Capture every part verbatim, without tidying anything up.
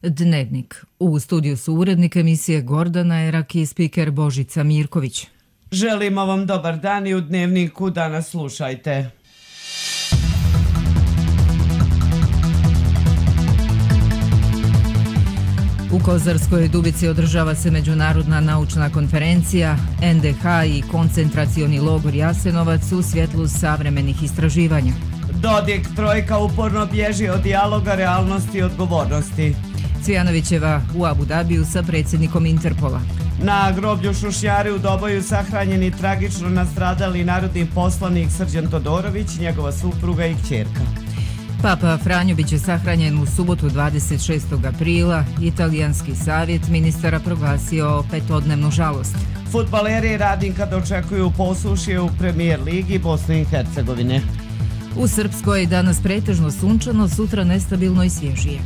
Dnevnik. U studiju su urednik emisije Gordana Erak i spiker Božica Mirković. Želimo vam dobar dan i u Dnevniku danas slušajte. U Kozarskoj Dubici održava se međunarodna naučna konferencija en de ha i koncentracioni logor Jasenovac u svjetlu savremenih istraživanja. Dodik trojka uporno bježi od dijaloga, realnosti i odgovornosti. Cvijanovićeva u Abu Dabiju sa predsjednikom Interpola. Na groblju Šušnjari u Doboju sahranjeni tragično nastradali narodni poslanik Srđan Todorović, njegova supruga i kćerka. Papa Franjo biće sahranjen u subotu dvadeset šestog aprila. Italijanski savjet ministara proglasio petodnevnu žalost. Fudbaleri Radnika dočekuju posušje u Premijer ligi Bosne i Hercegovine. U Srpskoj danas pretežno sunčano, sutra nestabilno i svježije.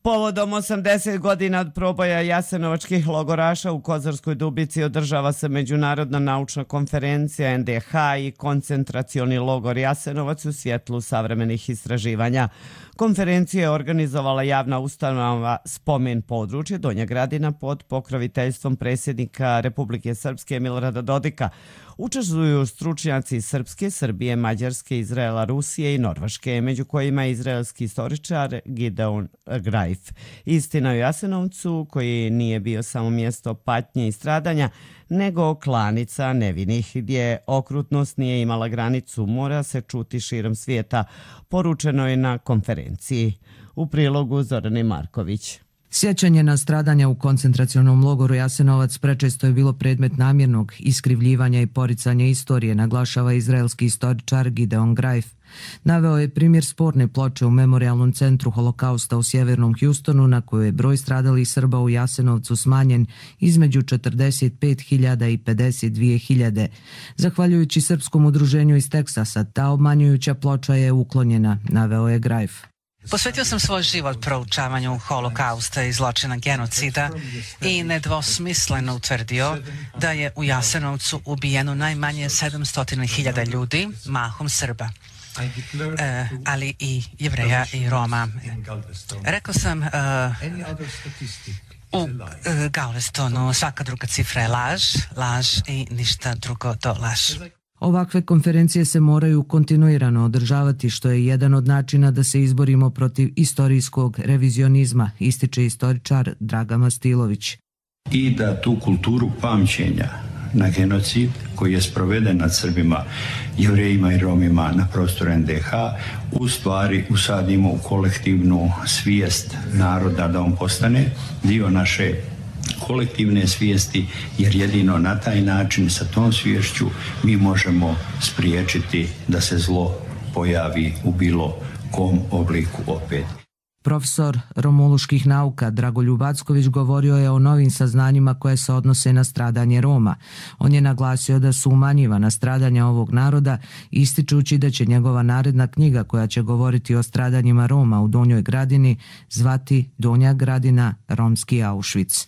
Povodom osamdeset godina od proboja jasenovačkih logoraša u Kozarskoj Dubici održava se međunarodna naučna konferencija en de ha i koncentracioni logor Jasenovac u svjetlu savremenih istraživanja. Konferencija je organizovala javna ustanova Spomen područje Donja Gradina pod pokroviteljstvom predsjednika Republike Srpske Milorada Dodika. Učestvuju stručnjaci Srpske, Srbije, Mađarske, Izraela, Rusije i Norveške, među kojima je izraelski istoričar Gideon Greif. Istina o Jasenovcu, koji nije bio samo mjesto patnje i stradanja, nego klanica nevinih, gdje okrutnost nije imala granicu, mora se čuti širom svijeta, poručeno je na konferenciji. U prilogu Zorane Marković. Sjećanje na stradanja u koncentracionom logoru Jasenovac prečesto je bilo predmet namjernog iskrivljivanja i poricanja istorije, naglašava izraelski istoričar Gideon Greif. Naveo je primjer sporne ploče u Memorijalnom centru holokausta u sjevernom Houstonu, na kojoj je broj stradalih Srba u Jasenovcu smanjen između četrdeset pet hiljada i pedeset dvije hiljade. Zahvaljujući Srpskom udruženju iz Teksasa, ta obmanjujuća ploča je uklonjena, naveo je Greif. Posvetio sam svoj život proučavanju holokausta i zločina genocida i nedvosmisleno utvrdio da je u Jasenovcu ubijeno najmanje sedamsto hiljada ljudi, mahom Srba, e, ali i Jevreja i Roma. Rekao sam e, u e, Galvestonu svaka druga cifra je laž, laž i ništa drugo do laž. Ovakve konferencije se moraju kontinuirano održavati, što je jedan od načina da se izborimo protiv istorijskog revizionizma, ističe istoričar Draga Mastilović. I da tu kulturu pamćenja na genocid koji je sproveden nad Srbima, Jevrejima i Romima na prostoru en de ha u stvari usadimo u kolektivnu svijest naroda, da on postane dio naše kolektivne svijesti, jer jedino na taj način, sa tom sviješću, mi možemo spriječiti da se zlo pojavi u bilo kom obliku opet. Profesor romuluških nauka Dragoljub Acković govorio je o novim saznanjima koje se odnose na stradanje Roma. On je naglasio da su umanjivana stradanja ovog naroda, ističući da će njegova naredna knjiga koja će govoriti o stradanjima Roma u Donjoj Gradini zvati Donja Gradina, romski Auschwitz.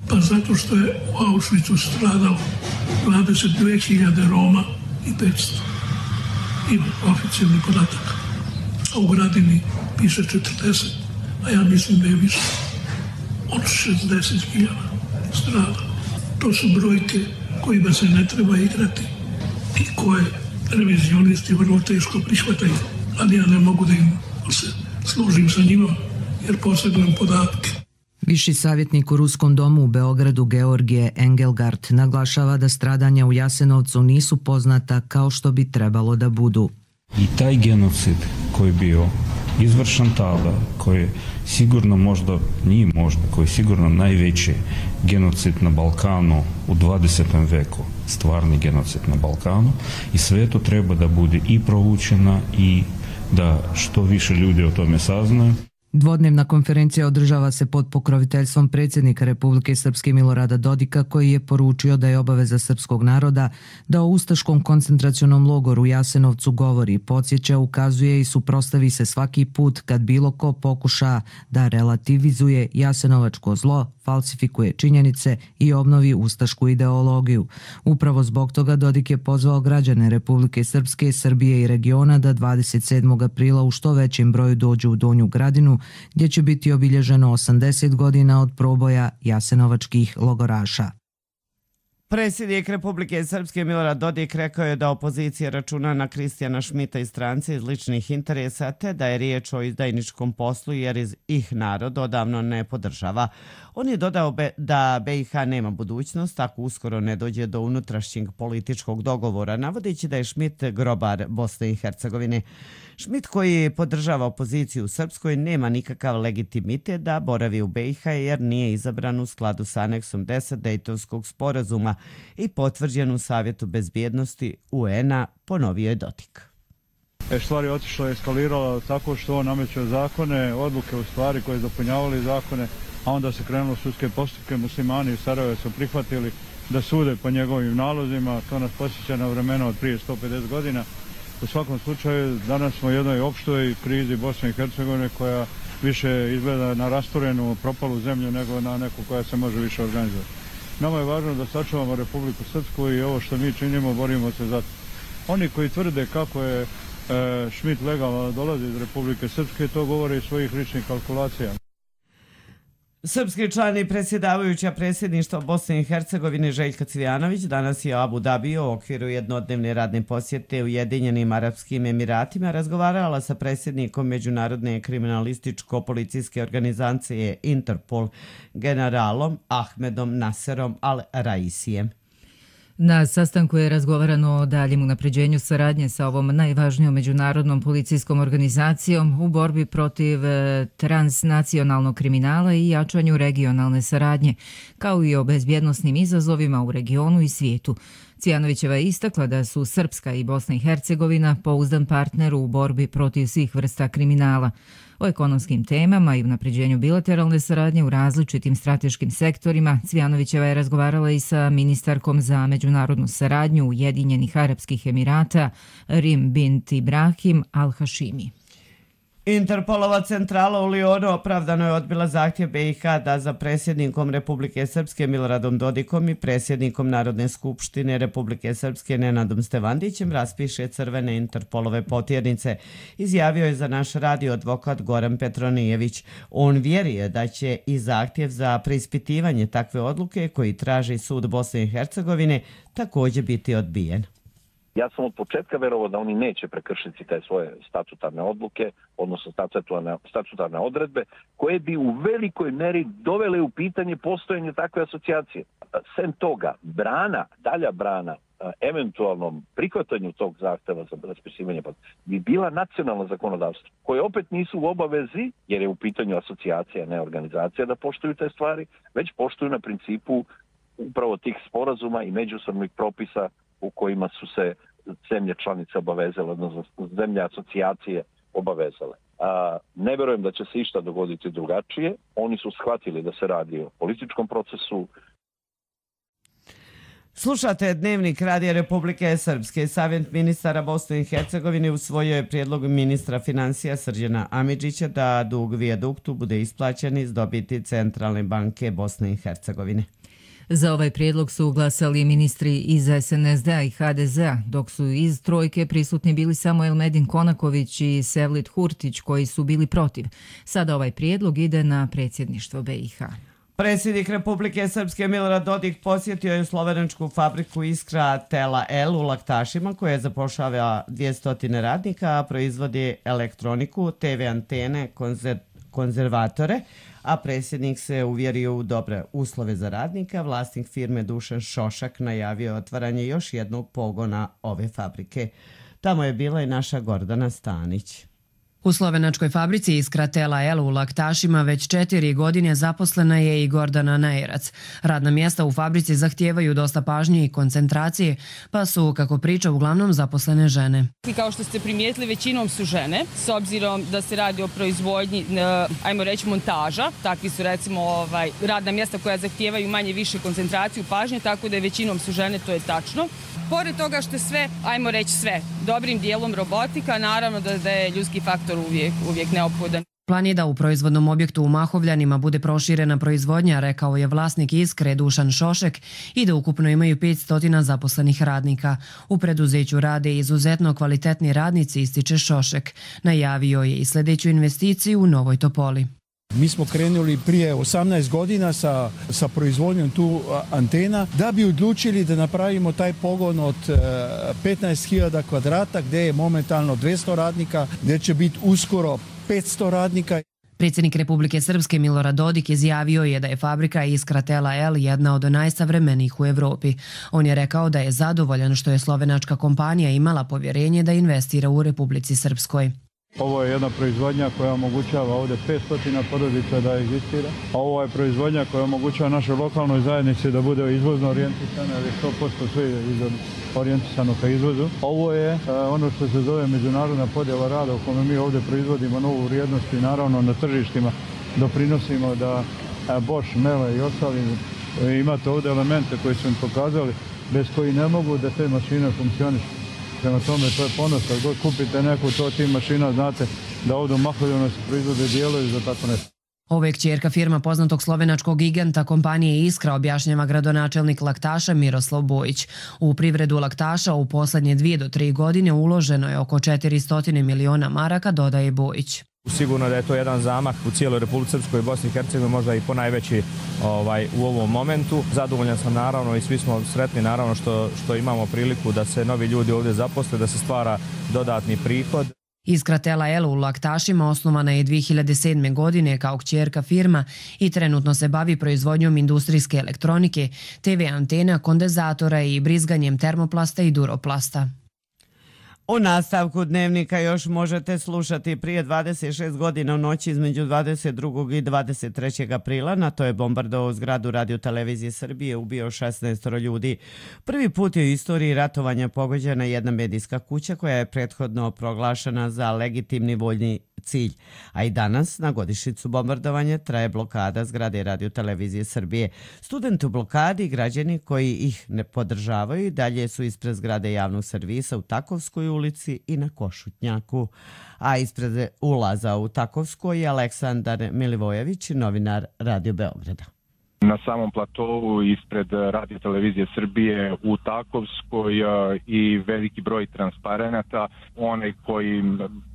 Pa zato što je u Auschwitzu stradalo dvadeset dvije hiljade Roma i petsto. Ima oficijalni podatak. A u Gradini piše četrdeset, a ja mislim da je više od šezdeset hiljada stradalo. To su brojke kojima se ne treba igrati i koje revizionisti vrlo teško prihvataju, ali ja ne mogu da im se služim sa njima jer posjedujem podatke. Viši savjetnik u Ruskom domu u Beogradu Georgije Engelgard naglašava da stradanja u Jasenovcu nisu poznata kao što bi trebalo da budu. I taj genocid koji je bio izvršen tada, koji sigurno možda, nije možda, koji je sigurno najveći genocid na Balkanu u dvadesetom veku, stvarni genocid na Balkanu, i sve to treba da bude i proučeno i da što više ljudi o tome saznaju. Dvodnevna konferencija održava se pod pokroviteljstvom predsjednika Republike Srpske Milorada Dodika, koji je poručio da je obaveza srpskog naroda da o ustaškom koncentracionom logoru u Jasenovcu govori, podsjeća, ukazuje i suprotstavi se svaki put kad bilo ko pokuša da relativizuje jasenovačko zlo, falsifikuje činjenice i obnovi ustašku ideologiju. Upravo zbog toga Dodik je pozvao građane Republike Srpske, Srbije i regiona da dvadeset sedmog aprila u što većem broju dođu u Donju Gradinu, gdje će biti obilježeno osamdeset godina od proboja jasenovačkih logoraša. Predsjednik Republike Srpske Milorad Dodik rekao je da opozicija računa na Kristijana Šmita i strance iz ličnih interesa, te da je riječ o izdajničkom poslu jer ih narod odavno ne podržava. On je dodao da B i H nema budućnost ako uskoro ne dođe do unutrašnjeg političkog dogovora, navodeći da je Šmit grobar Bosne i Hercegovine. Šmit, koji podržava opoziciju u Srpskoj, nema nikakav legitimitet da boravi u B i H jer nije izabran u skladu sa aneksom deset Dejtonskog sporazuma i potvrđen u Savjetu bezbjednosti U N-a, ponovio je Dodik. E, stvari je otišla i eskalirala tako što on nameće zakone, odluke u stvari koje dopunjavali zakone, a onda se krenulo sudske postupke. Muslimani u Sarajevu su prihvatili da sude po njegovim nalozima. To nas posjeća na vremena od prije sto pedeset godina. U svakom slučaju, danas smo u jednoj opštoj krizi Bosne i Hercegovine koja više izgleda na rasturenu, propalu zemlju nego na neku koja se može više organizovati. Nama je važno da sačuvamo Republiku Srpsku i ovo što mi činimo, borimo se za to. Oni koji tvrde kako je e, Šmit legalno dolazi iz Republike Srpske, to govore iz svojih ličnih kalkulacija. Srpski član i predsjedavajuća predsjedništva Bosne i Hercegovine Željka Cvijanović danas je u Abu Dabiju u okviru jednodnevne radne posjete Ujedinjenim Arapskim Emiratima razgovarala sa predsjednikom Međunarodne kriminalističko-policijske organizacije Interpol, generalom Ahmedom Naserom Al-Raisijem. Na sastanku je razgovarano o daljem unapređenju saradnje sa ovom najvažnijom međunarodnom policijskom organizacijom u borbi protiv transnacionalnog kriminala i jačanju regionalne saradnje, kao i o bezbjednosnim izazovima u regionu i svijetu. Cvijanovićeva je istakla da su Srpska i Bosna i Hercegovina pouzdan partner u borbi protiv svih vrsta kriminala. O ekonomskim temama i unapređenju bilateralne saradnje u različitim strateškim sektorima Cvijanovićeva je razgovarala i sa ministarkom za međunarodnu saradnju Ujedinjenih Arapskih Emirata Rim bint Ibrahim Al-Hašimi. Interpolova centrala u Lionu opravdano je odbila zahtjev B i H da za predsjednikom Republike Srpske Miloradom Dodikom i predsjednikom Narodne skupštine Republike Srpske Nenadom Stevandićem raspiše crvene Interpolove potjernice, izjavio je za naš radio advokat Goran Petronijević. On vjeruje da će i zahtjev za preispitivanje takve odluke koji traži sud Bosne i Hercegovine također biti odbijen. Ja sam od početka verovao da oni neće prekršiti te svoje statutarne odluke, odnosno statutarne, statutarne odredbe, koje bi u velikoj meri dovele u pitanje postojanje takve asocijacije. Sem toga, brana, dalja brana, eventualnom prihvatanju tog zahteva za raspisivanje bi bila nacionalno zakonodavstvo, koje opet nisu u obavezi, jer je u pitanju asocijacija, ne organizacija, da poštuju te stvari, već poštuju na principu upravo tih sporazuma i međusobnih propisa u kojima su se zemlje članice obavezale, odnosno zemlje asocijacije obavezale. A, ne verujem da će se išta dogoditi drugačije. Oni su shvatili da se radi o političkom procesu. Slušate Dnevnik Radija Republike Srpske. Savjet ministara Bosne i Hercegovine usvojio je prijedlog ministra financija Srđana Amidžića da dug vijaduktu bude isplaćen iz dobiti Centralne banke Bosne i Hercegovine. Za ovaj prijedlog su glasali ministri iz S N S D-a i H D Z-a, dok su iz trojke prisutni bili samo Elmedin Konaković i Sevlit Hurtić, koji su bili protiv. Sada ovaj prijedlog ide na predsjedništvo B i H. Predsjednik Republike Srpske Milorad Dodik posjetio je slovenačku fabriku Iskra Tela L u Laktašima, koja zapošljava dvjesto radnika, a proizvodi elektroniku, T V antene, konzer konzervatore, a predsjednik se uvjerio u dobre uslove za radnika. Vlasnik firme Dušan Šošak najavio otvaranje još jednog pogona ove fabrike. Tamo je bila i naša Gordana Stanić. U slovenačkoj fabrici Iskra Tela El u Laktašima već četiri godine zaposlena je i Gordana Najerac. Radna mjesta u fabrici zahtijevaju dosta pažnje i koncentracije, pa su, kako priča, uglavnom zaposlene žene. Kao što ste primijetili, većinom su žene, s obzirom da se radi o proizvodnji, ajmo reći, montaža. Takvi su, recimo, ovaj, radna mjesta koja zahtijevaju manje više koncentraciju pažnje, tako da je većinom su žene, to je tačno. Pored toga što je sve, ajmo reći sve, dobrim dijelom robotika, naravno da, da je ljudski faktor uvijek, uvijek neophodan. Plan je da u proizvodnom objektu u Mahovljanima bude proširena proizvodnja, rekao je vlasnik Iskre Dušan Šošek, i da ukupno imaju petsto zaposlenih radnika. U preduzeću rade izuzetno kvalitetni radnici, ističe Šošek. Najavio je i sljedeću investiciju u Novoj Topoli. Mi smo krenuli prije osamnaest godina sa, sa proizvodnjom tu antena da bi odlučili da napravimo taj pogon od petnaest hiljada kvadrata gdje je momentalno dvjesto radnika, gdje će biti uskoro petsto radnika. Predsjednik Republike Srpske Milorad Dodik izjavio je da je fabrika Iskra Tela El jedna od najsavremenijih u Evropi. On je rekao da je zadovoljan što je slovenačka kompanija imala povjerenje da investira u Republici Srpskoj. Ovo je jedna proizvodnja koja omogućava ovdje petsto porodica da egzistira. A ovo je proizvodnja koja omogućava našoj lokalnoj zajednici da bude izvozno orijentisana, jer je sto posto sve orijentisano ka izvozu. Ovo je ono što se zove međunarodna podjela rada u kome mi ovdje proizvodimo novu vrijednost i naravno na tržištima doprinosimo da Bosch, Mele i ostali imate ovdje elemente koji su im pokazali bez koji ne mogu da te mašine funkcionišu. Prema tome, to je ponos. Kad god kupite neku to tim mašina, znate da ovdje u Mahovljanu se proizvode dijelovi za tako nešto. Ovo je kćerka firma poznatog slovenačkog giganta kompanije Iskra, objašnjava gradonačelnik Laktaša Miroslav Bojić. U privredu Laktaša u posljednje dvije do tri godine uloženo je oko četiristo miliona maraka, dodaje Bojić. Sigurno da je to jedan zamah u cijeloj Republici Srpskoj i Bosni i Hercegovini, možda i ponajveći ovaj, u ovom momentu. Zadovoljan sam naravno i svi smo sretni naravno što, što imamo priliku da se novi ljudi ovdje zaposle, da se stvara dodatni prihod. Iskra Tela El u Laktašima osnovana je dvije hiljade sedme. godine kao kćerka firma i trenutno se bavi proizvodnjom industrijske elektronike, te ve antena, kondenzatora i brizganjem termoplasta i duroplasta. U nastavku dnevnika još možete slušati prije dvadeset šest godina u noći između dvadeset drugog i dvadeset trećeg aprila. NATO je bombardovao zgradu Radio-televizije Srbije, ubio šesnaest ljudi. Prvi put je u istoriji ratovanja pogođena jedna medijska kuća koja je prethodno proglašena za legitimni vojni cilj. A i danas, na godišnjicu bombardovanja, traje blokada zgrade Radio-televizije Srbije. Studenti u blokadi i građani koji ih ne podržavaju dalje su ispred zgrade javnog servisa u Takovskoj ulici i na Košutnjaku. A ispred ulaza u Takovskoj je Aleksandar Milivojević, novinar Radio Beograda. Na samom platovu ispred Radio-televizije Srbije u Takovskoj i veliki broj transparenata. Onaj koji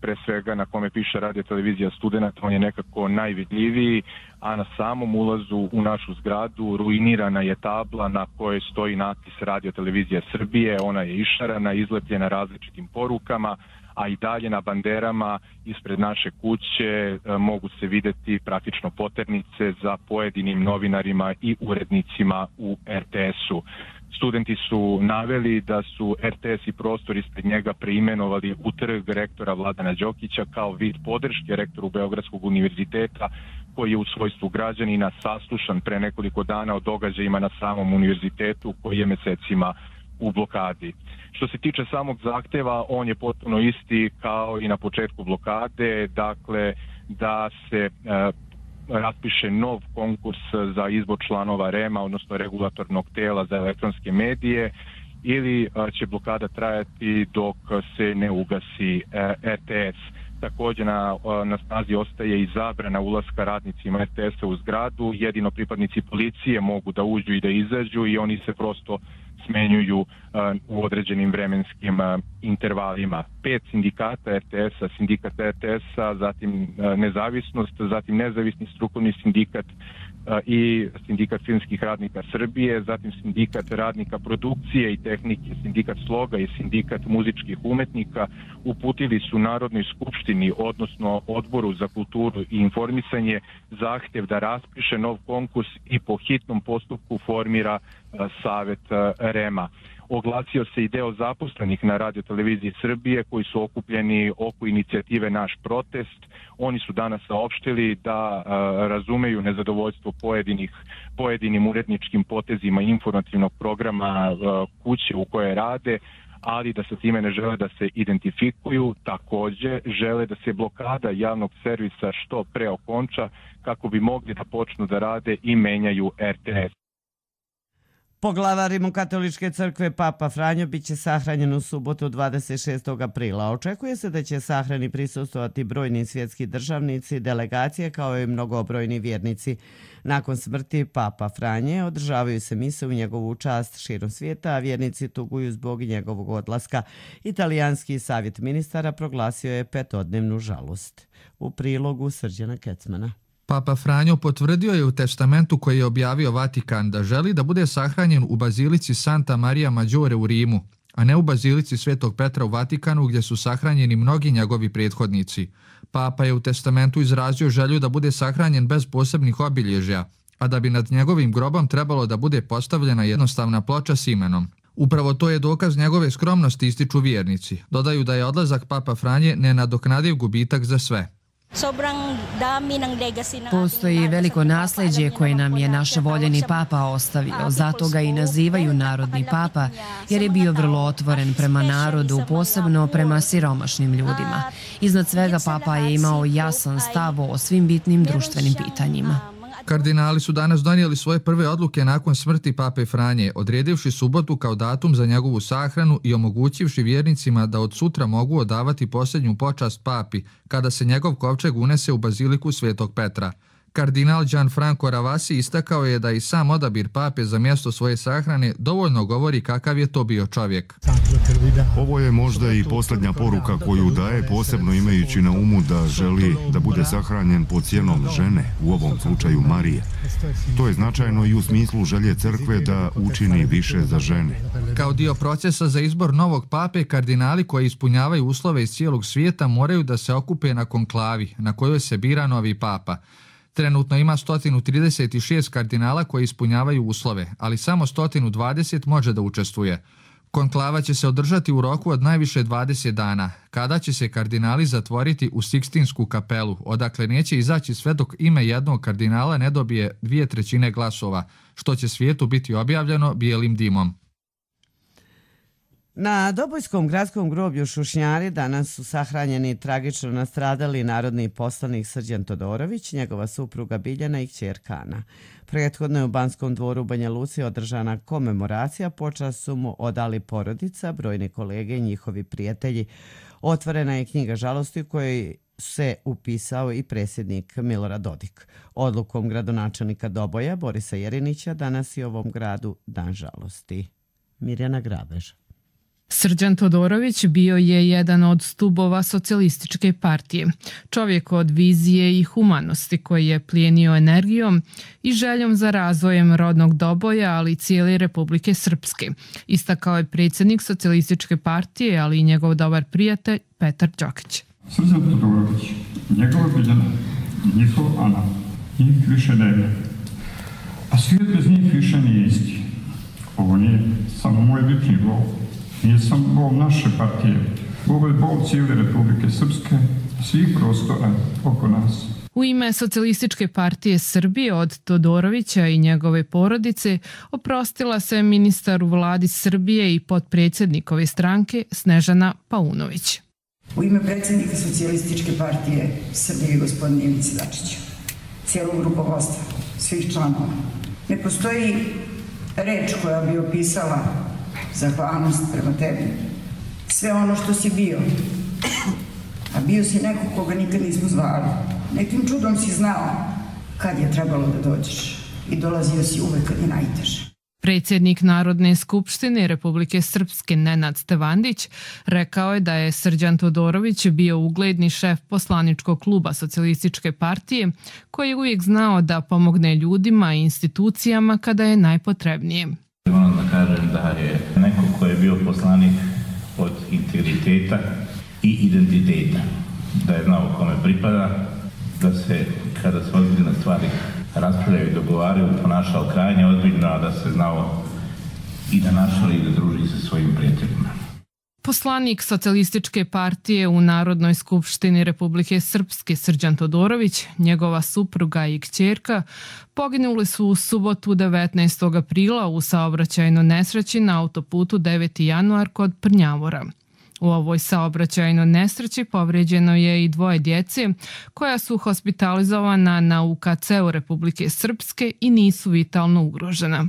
pre svega na kome piše Radio-televizija Studenta, on je nekako najvidljiviji, a na samom ulazu u našu zgradu ruinirana je tabla na kojoj stoji natpis Radio-televizija Srbije. Ona je išarana, izlepljena različitim porukama, a i dalje na banderama ispred naše kuće e, mogu se vidjeti praktično poternice za pojedinim novinarima i urednicima u er te esu. Studenti su naveli da su er te es i prostor ispred njega preimenovali u trg rektora Vladana Đokića kao vid podrške rektoru Beogradskog univerziteta, koji je u svojstvu građanina saslušan pre nekoliko dana o događajima na samom univerzitetu koji je mesecima u blokadi. Što se tiče samog zahteva, on je potpuno isti kao i na početku blokade, dakle da se e, raspiše nov konkurs za izbor članova rema, odnosno regulatornog tela za elektronske medije, ili e, će blokada trajati dok se ne ugasi e, er te es. Također na, na snazi ostaje i zabrana ulaska radnicima er te esa u zgradu, jedino pripadnici policije mogu da uđu i da izađu i oni se prosto smenjuju uh, u određenim vremenskim uh, intervalima. Pet sindikata er te esa, sindikat er te esa, zatim uh, nezavisnost, zatim nezavisni strukovni sindikat uh, i sindikat filmskih radnika Srbije, zatim sindikat radnika produkcije i tehnike, sindikat sloga i sindikat muzičkih umetnika uputili su Narodnoj skupštini, odnosno Odboru za kulturu i informisanje, zahtjev da raspiše nov konkurs i po hitnom postupku formira uh, Savet uh, Rema. Oglasio se i deo zaposlenih na radioteleviziji Srbije koji su okupljeni oko inicijative Naš protest. Oni su danas saopštili da a, razumeju nezadovoljstvo pojedinih, pojedinim uredničkim potezima informativnog programa a, kuće u kojoj rade, ali da sa time ne žele da se identifikuju. Takođe žele da se blokada javnog servisa što pre okonča kako bi mogli da počnu da rade i menjaju er te es. Poglavar Rimokatoličke crkve Papa Franjo biće sahranjen u subotu dvadeset šestog aprila. Očekuje se da će sahrani prisustvovati brojni svjetski državnici, delegacije kao i mnogobrojni vjernici. Nakon smrti Papa Franje održavaju se mise u njegovu čast širom svijeta, a vjernici tuguju zbog njegovog odlaska. Italijanski savjet ministara proglasio je petodnevnu žalost. U prilogu Srđana Kecmana. Papa Franjo potvrdio je u testamentu koji je objavio Vatikan da želi da bude sahranjen u bazilici Santa Maria Maggiore u Rimu, a ne u bazilici Svetog Petra u Vatikanu gdje su sahranjeni mnogi njegovi prethodnici. Papa je u testamentu izrazio želju da bude sahranjen bez posebnih obilježja, a da bi nad njegovim grobom trebalo da bude postavljena jednostavna ploča s imenom. Upravo to je dokaz njegove skromnosti, ističu vjernici. Dodaju da je odlazak Papa Franje nenadoknadiv gubitak za sve. Postoji veliko nasljeđe koje nam je naš voljeni papa ostavio, zato ga i nazivaju narodni papa, jer je bio vrlo otvoren prema narodu, posebno prema siromašnim ljudima. Iznad svega papa je imao jasan stav o svim bitnim društvenim pitanjima. Kardinali su danas donijeli svoje prve odluke nakon smrti Pape Franje, odredivši subotu kao datum za njegovu sahranu i omogućivši vjernicima da od sutra mogu odavati posljednju počast papi kada se njegov kovčeg unese u baziliku Svetog Petra. Kardinal Gianfranco Ravasi istakao je da i sam odabir pape za mjesto svoje sahrane dovoljno govori kakav je to bio čovjek. Ovo je možda i posljednja poruka koju daje, posebno imajući na umu da želi da bude sahranjen pod sjenom žene, u ovom slučaju Marije. To je značajno i u smislu želje crkve da učini više za žene. Kao dio procesa za izbor novog pape, kardinali koji ispunjavaju uslove iz cijelog svijeta moraju da se okupe na konklavi na kojoj se bira novi papa. Trenutno ima sto trideset šest kardinala koji ispunjavaju uslove, ali samo sto dvadeset može da učestvuje. Konklava će se održati u roku od najviše dvadeset dana, kada će se kardinali zatvoriti u Sikstinsku kapelu, odakle neće izaći sve dok ime jednog kardinala ne dobije dvije trećine glasova, što će svijetu biti objavljeno bijelim dimom. Na Dobojskom gradskom groblju Šušnjari danas su sahranjeni tragično nastradali narodni poslanik Srđan Todorović, njegova supruga Biljana i kćerka Ana. Prethodno je u Banskom dvoru u Banja Luci održana komemoracija, počast su mu odali porodica, brojni kolege i njihovi prijatelji. Otvorena je knjiga žalosti u kojoj se upisao i predsjednik Milorad Dodik. Odlukom gradonačelnika Doboja Borisa Jerinića danas je u ovom gradu dan žalosti. Mirjana Grabež. Srđan Todorović bio je jedan od stubova socijalističke partije, čovjek od vizije i humanosti koji je plijenio energijom i željom za razvojem rodnog Doboja, ali i cijele Republike Srpske, istakao je predsjednik socijalističke partije, ali i njegov dobar prijatelj Petar Đokić. Srđan Todorović, njegova Biljana, njihov Ana, njih više nema, a svijet bez njih više nije isti. Ovo nije samo moj lični bol. Nije samo bol naše partije, ovo je bol cijele Republike Srpske, svih prostora oko nas. U ime Socijalističke partije Srbije od Todorovića i njegove porodice oprostila se ministar u vladi Srbije i potpredsjednikove stranke Snežana Paunović. U ime predsjednika Socijalističke partije Srbije gospodina Ivice Dačića, cijelog rukovodstva, svih članova, ne postoji reč koja bi opisala zahvalnost prema tebi. Sve ono što si bio, a bio si neko koga nikad nismo zvali. Nekim čudom si znao kad je trebalo da dođeš i dolazio si uvek kad je najteže. Predsjednik Narodne skupštine Republike Srpske Nenad Stevandić rekao je da je Srđan Todorović bio ugledni šef poslaničkog kluba Socijalističke partije koji je uvijek znao da pomogne ljudima i institucijama kada je najpotrebnije. Moram da kažem da je neko ko je bio poslanik od integriteta i identiteta, da je znao kome pripada, da se kada se ozbiljne stvari raspravljaju i dogovaraju ponašao krajnje ozbiljno, a da se znao i da nastavi da druži sa svojim prijateljima. Poslanik Socijalističke partije u Narodnoj skupštini Republike Srpske Srđan Todorović, njegova supruga i kćerka poginuli su u subotu devetnaestog aprila u saobraćajnoj nesreći na autoputu deveti januar kod Prnjavora. U ovoj saobraćajnoj nesreći povrijeđeno je i dvoje djece koja su hospitalizovana na U K C-u Republike Srpske i nisu vitalno ugrožena.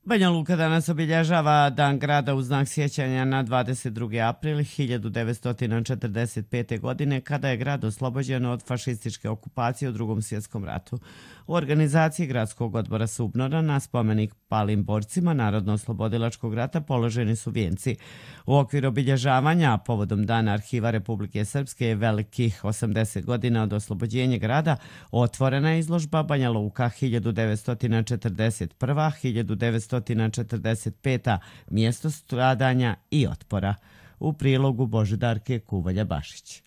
Banja Luka danas obilježava Dan grada u znak sjećanja na dvadeset drugi april hiljadu devetsto četrdeset pete. godine kada je grad oslobođen od fašističke okupacije u Drugom svjetskom ratu. U organizaciji Gradskog odbora Subnora na spomenik palim borcima Narodno-oslobodilačkog rata položeni su vijenci. U okviru obilježavanja povodom Dana arhiva Republike Srpske velikih osamdeset godina od oslobođenja grada otvorena je izložba Banja Luka hiljadu devetsto četrdeset prva do hiljadu devetsto četrdeset peta. mjesto stradanja i otpora. U prilogu Božidarke Kuvalja-Bašić.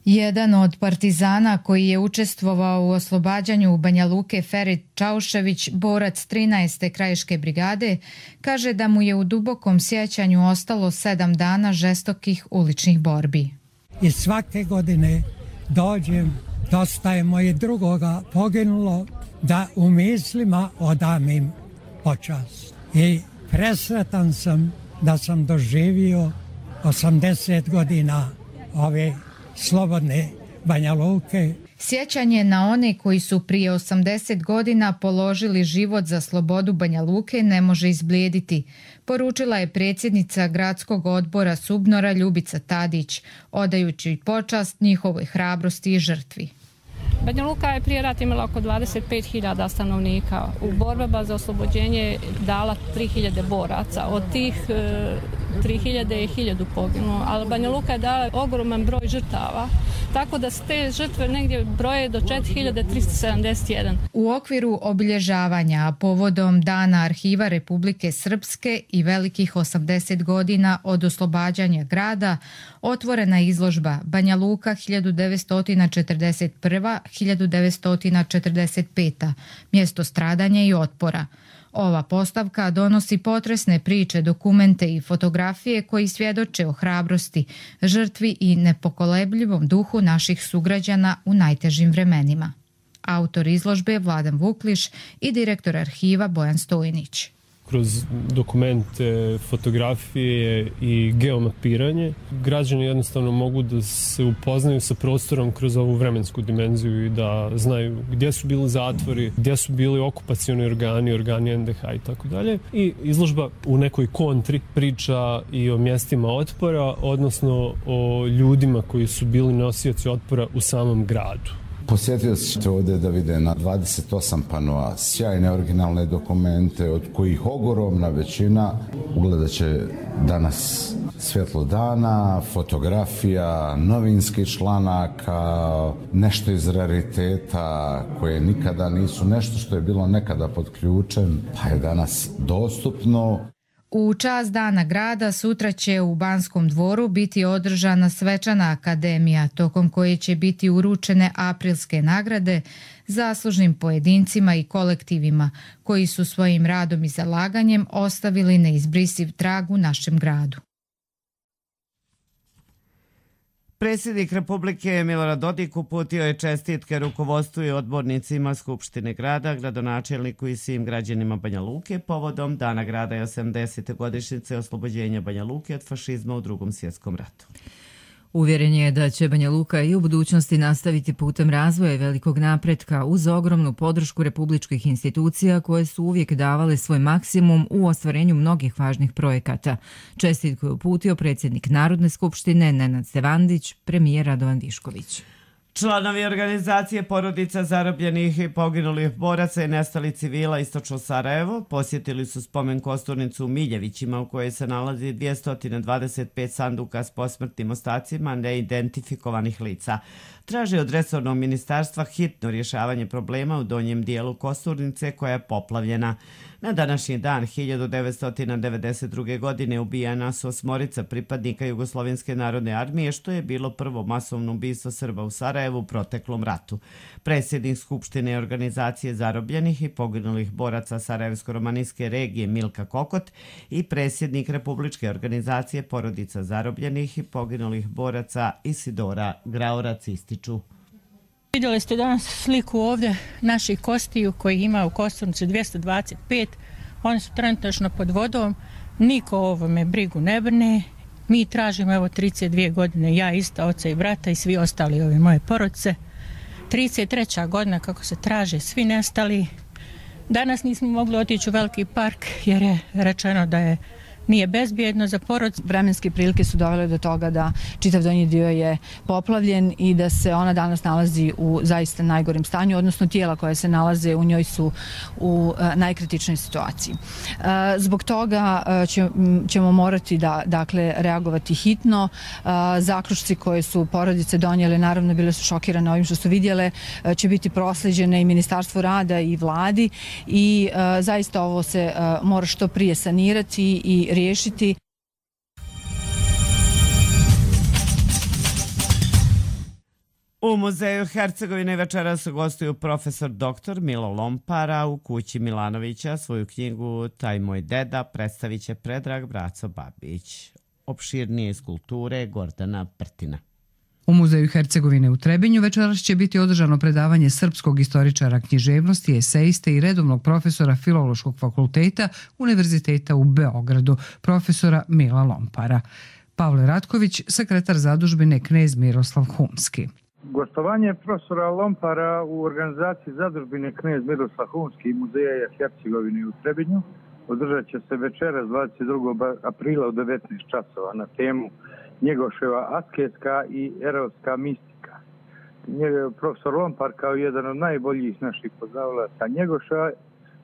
Jedan od partizana koji je učestvovao u oslobađanju Banja Luke, Ferit Čaušević, borac trinaeste krajiške brigade, kaže da mu je u dubokom sjećanju ostalo sedam dana žestokih uličnih borbi. I svake godine dođem, dosta je moje drugoga poginulo, da u mislima odam im počast. I presretan sam da sam doživio osamdeset godina ove slobodne Banja Luke. Sjećanje na one koji su prije osamdeset godina položili život za slobodu Banja Luke ne može izblijediti, poručila je predsjednica Gradskog odbora Subnora Ljubica Tadić, odajući počast njihovoj hrabrosti i žrtvi. Banja Luka je prije rata imala oko dvadeset pet hiljada stanovnika. U borbama za oslobođenje dala tri hiljade boraca. Od tih tri hiljade je hiljadu poginulo, ali Banja Luka je dala ogroman broj žrtava, tako da se te žrtve negdje broje do četiri hiljade tristo sedamdeset jedan. U okviru obilježavanja povodom Dana arhiva Republike Srpske i velikih osamdeset godina od oslobađanja grada otvorena izložba Banja Luka hiljadu devetsto četrdeset prva do hiljadu devetsto četrdeset peta. mjesto stradanja i otpora. Ova postavka donosi potresne priče, dokumente i fotografije koji svjedoče o hrabrosti, žrtvi i nepokolebljivom duhu naših sugrađana u najtežim vremenima. Autor izložbe je Vladan Vukliš i direktor arhiva Bojan Stojnić. Kroz dokumente, fotografije i geomapiranje građani jednostavno mogu da se upoznaju sa prostorom kroz ovu vremensku dimenziju i da znaju gdje su bili zatvori, gdje su bili okupacioni organi, organi N D H i tako dalje. I izložba u nekoj kontri priča i o mjestima otpora, odnosno o ljudima koji su bili nosioci otpora u samom gradu. Posjetioci ćete ovdje da vide na dvadeset osam panoa sjajne originalne dokumente, od kojih ogromna većina ugledat će danas svjetlo dana, fotografija, novinskih članaka, nešto iz rariteta koje nikada nisu, nešto što je bilo nekada pod ključem, pa je danas dostupno. U čast Dana grada sutra će u Banskom dvoru biti održana svečana akademija, tokom koje će biti uručene aprilske nagrade zaslužnim pojedincima i kolektivima koji su svojim radom i zalaganjem ostavili neizbrisiv trag u našem gradu. Predsjednik Republike Milorad Dodik uputio je čestitke rukovodstvu i odbornicima Skupštine grada, gradonačelniku i svim građanima Banja Luke povodom Dana grada i osamdesete godišnjice oslobođenja Banja Luke od fašizma u Drugom svjetskom ratu. Uvjeren je da će Banja Luka i u budućnosti nastaviti putem razvoja i velikog napretka uz ogromnu podršku republičkih institucija koje su uvijek davale svoj maksimum u ostvarenju mnogih važnih projekata. Čestitku je uputio predsjednik Narodne skupštine Nenad Stevandić, premijer Radovan Višković. Članovi organizacije porodica zarobljenih i poginulih boraca i nestalih civila Istočno Sarajevo posjetili su spomen kosturnicu u Miljevićima u kojoj se nalazi dvjesto dvadeset pet sanduka s posmrtnim ostacima neidentifikovanih lica. traži od resornog ministarstva hitno rješavanje problema u donjem dijelu Kosturnice koja je poplavljena. Na današnji dan hiljadu devetsto devedeset druge. godine ubijena su osmorica pripadnika Jugoslovenske narodne armije, što je bilo prvo masovno ubistvo Srba u Sarajevu u proteklom ratu. Predsjednik Skupštine organizacije zarobljenih i poginulih boraca Sarajevsko-romanijske regije Milka Kokot i predsjednik Republičke organizacije porodica zarobljenih i poginulih boraca Isidora Graorac ističu. Vidjeli ste danas sliku ovdje naših kostiju koji ima u Kosturnici dvjesto dvadeset pet. Oni su trenutačno pod vodom. Niko o ovome brigu ne brine. Mi tražimo evo trideset dvije godine, ja isto, oca i brata i svi ostali ove moje porodice. trideset treća godina kako se traže svi nestali. Danas nismo mogli otići u Veliki park jer je rečeno da je nije bezbjedno za porodicu. Vremenske prilike su dovele do toga da čitav donji dio je poplavljen i da se ona danas nalazi u zaista najgorem stanju, odnosno tijela koje se nalaze u njoj su u najkritičnoj situaciji. Zbog toga ćemo morati da, dakle, reagovati hitno. Zaključci koje su porodice donijele, naravno bile su šokirane ovim što su vidjele, će biti proslijeđene i Ministarstvu rada i vladi i zaista ovo se mora što prije sanirati i riješiti. U muzeju Hercegovine večeras gostuju profesor doktor Milo Lompara u kući Milanovića. Svoju knjigu Taj moj deda predstavit će Predrag Braco Babić. Opširnije iz kulture Gordana Prtina. U muzeju Hercegovine u Trebinju večeras će biti održano predavanje srpskog istoričara književnosti, esejiste i redovnog profesora Filološkog fakulteta Univerziteta u Beogradu, profesora Mila Lompara. Pavle Ratković, sekretar zadužbine Knez Miroslav Humski. Gostovanje profesora Lompara u organizaciji zadužbine Knez Miroslav Humski i muzeja Hercegovine u Trebinju održat će se večeras dvadeset drugog aprila u devetnaest časova na temu Njegoševa asketska i erovska mistika. Profesor Lompar kao jedan od najboljih naših poznavalaca Njegoša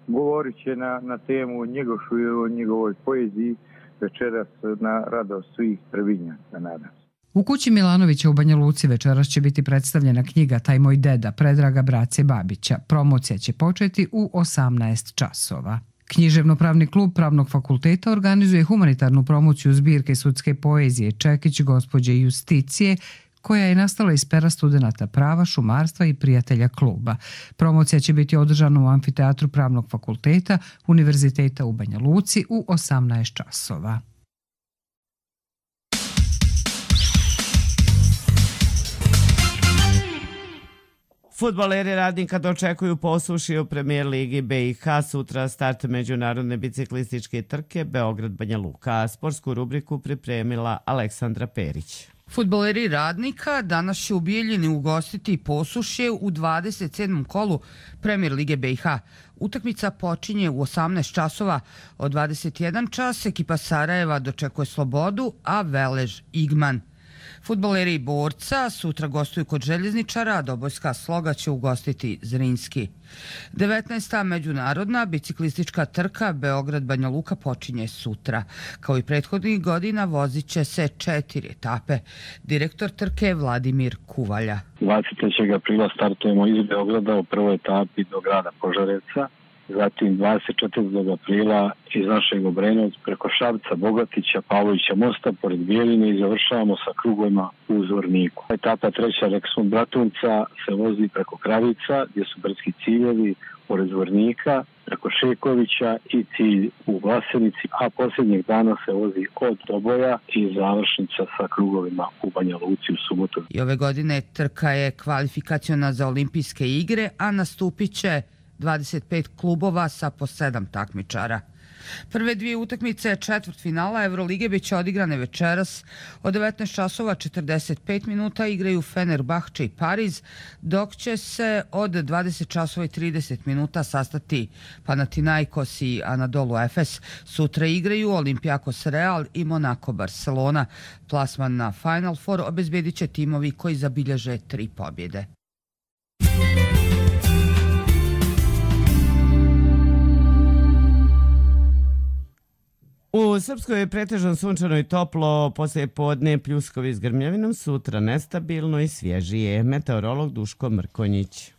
govorit će na, na temu Njegošu i o njegovoj poeziji večeras na radost svih Trebinjaka, nadam se. U kući Milanovića u Banja Luci večeras će biti predstavljena knjiga Taj moj deda Predraga Brace Babića. Promocija će početi u osamnaest časova. Književno-pravni klub Pravnog fakulteta organizuje humanitarnu promociju zbirke sudske poezije Čekić gospođe Justicije, koja je nastala iz pera studenata prava, šumarstva i prijatelja kluba. Promocija će biti održana u amfiteatru Pravnog fakulteta Univerziteta u Banja Luci u osamnaest časova. Fudbaleri Radnika dočekuju posuši u Premijer ligi B i H. Sutra start međunarodne biciklističke trke Beograd-Banja Luka. Sportsku rubriku pripremila Aleksandra Perić. Fudbaleri Radnika danas će u Bijeljini ugostiti Posušje u dvadeset sedmom kolu Premijer lige B i H. Utakmica počinje u osamnaest časova. Od dvadeset jedan čas ekipa Sarajeva dočekuje Slobodu, a Velež Igman. Fudbaleri Borca sutra gostuju kod Željezničara, a Dobojska Sloga će ugostiti Zrinski. devetnaesta međunarodna biciklistička trka Beograd-Banja Luka počinje sutra. Kao i prethodnih godina vozit će se četiri etape. Direktor trke Vladimir Kuvalja. dvadeset trećeg aprila startujemo iz Beograda u prvoj etapi do grada Požareca. Zatim dvadeset četvrtog aprila iz našeg Obrenovca preko Šapca, Bogatića, Pavlovića mosta pored Bijeljine i završavamo sa krugovima u Zvorniku. Etapa treća Reksmund Bratunca se vozi preko Kravica gdje su brdski ciljevi pored Zvornika, preko Šekovića i cilj u Vlasenici, a posljednjeg dana se vozi od Doboja i završnica sa krugovima u Banja Luci u subotu. I ove godine trka je kvalifikaciona za olimpijske igre, a nastupit će dvadeset pet klubova sa po sedam takmičara. Prve dvije utakmice četvrtfinala Evrolige biće odigrane večeras. Od devetnaest časova četrdeset pet minuta igraju Fenerbahče i Pariz, dok će se od dvadeset časova i trideset minuta sastati Panathinaikos i Anadolu Efes. Sutra igraju Olympiakos Real i Monaco Barcelona. Plasman na Final Four obezbedit će timovi koji zabilježe tri pobjede. U Srpskoj je pretežno sunčano i toplo, poslije podne pljuskovi s grmljavinom, sutra nestabilno i svježije. Meteorolog Duško Mrkonjić.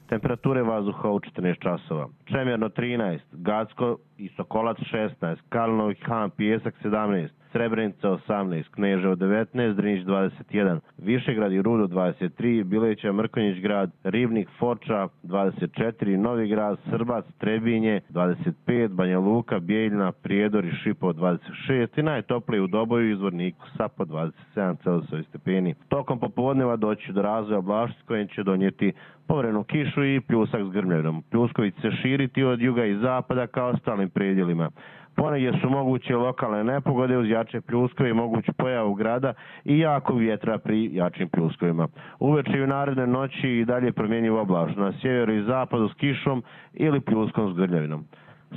Temperature vazduha u četrnaest časova. Čemerno trinaest, Gacko i Sokolac šesnaest, Kalinovi Han Pijesak sedamnaest, Srebrenica osamnaest, Kneževo devetnaest, Drniš dvadeset jedan, Višegrad i Rudo dvadeset tri, Bileća, Mrkonjić grad, Ribnik, Foča dvadeset četiri, Novi grad, Srbac, Trebinje dvadeset pet, Banja Luka, Bijeljina, Prijedor i Šipovo dvadeset šest i najtoplije u Doboju i Izvorniku sa po dvadeset sedam Celzijusovih stepeni. Tokom popodneva doći do razvoja oblačnosti kojim će donijeti povremenu kišu i pljusak s grmljavinom. Pljuskovi će se širiti od juga i zapada kao ostalim predjelima. Ponegdje su moguće lokalne nepogode uz jače pljuskove i moguću pojavu grada i jakog vjetra pri jačim pljuskovima. Uveče i u naredne noći i dalje promjenjivo oblačno na sjeveru i zapadu s kišom ili pljuskom s grmljavinom.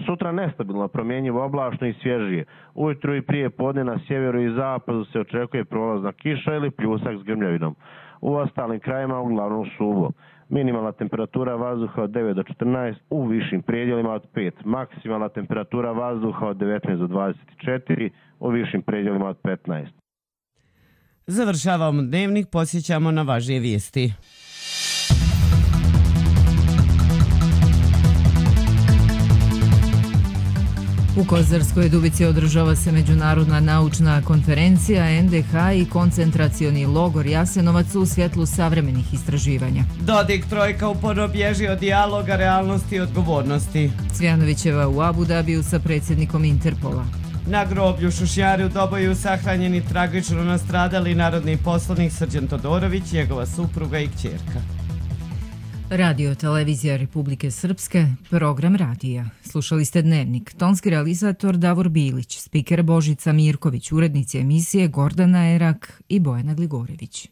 Sutra nestabilno promjenjivo oblačno i svježije. Ujutru i prije podne na sjeveru i zapadu se očekuje prolazna kiša ili pljusak s grmljavinom. U ostalim krajima uglavnom suvo. Minimalna temperatura vazduha od devet do četrnaest, u višim predjelima od pet. Maksimalna temperatura vazduha od devetnaest do dvadeset četiri, u višim predjelima od petnaest. Završavamo dnevnik, posjećamo na važnije vijesti. U Kozarskoj Dubici održava se međunarodna naučna konferencija en de ha i koncentracioni logor Jasenovac u svjetlu savremenih istraživanja. Dodik trojka uporno bježi od dijaloga, realnosti i odgovornosti. Cvjanovićeva u Abu Dabiju sa predsjednikom Interpola. Na groblju Šušnjari u Doboju sahranjeni tragično nastradali narodni poslanik Srđan Todorović, njegova supruga i kćerka. Radio Televizija Republike Srpske, program radija. Slušali ste Dnevnik, tonski realizator Davor Bilić, spiker Božica Mirković, urednici emisije Gordana Erak i Bojana Gligorević.